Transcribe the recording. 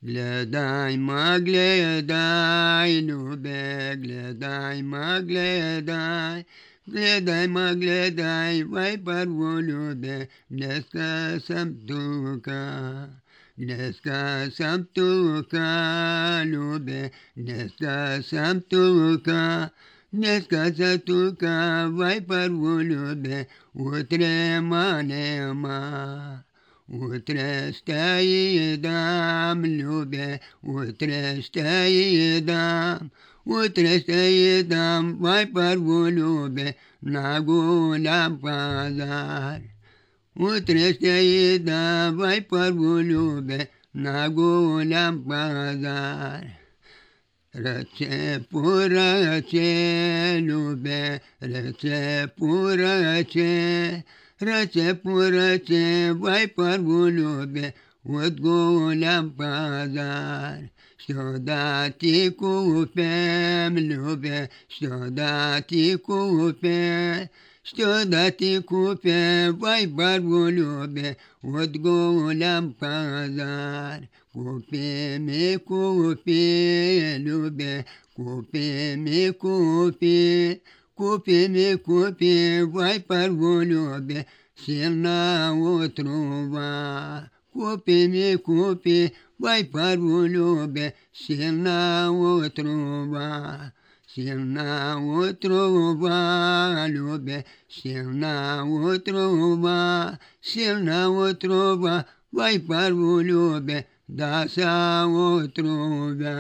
Gledaj ma gledaj, ljube, gledaj ma gledaj. Gledaj ma gledaj, vai prvo ljube, dneska sam tuka. Dneska sam tuka, ljube, dneska sam tuka. Dneska sam tuka, vai prvo ljube, utre ma nema. Utre stai dam, ljube, utre stai dam. Utre stai dam, vai prvo ljube, na Golan pazar. Utre stai dam, vai prvo ljube, na Golan pazar. Răce purăce, ljube, răce purăce. Răce purăce, vai prvo ljube, od Golan pazar. Što da ti kupem, ljube, što da ti kupem. Što da ti kupem, vai prvo ljube, od Golan pazar. Kupi mi kupi, ljube, kupi mi kupi. Kupi mi kupi, vai prvo ljube, silna otrova. Kupi mi kupi, vai prvo ljube, silna otrova. Silna otrova, ljube, silna otrova. Silna otrova, vai prvo ljube, da sa otrova.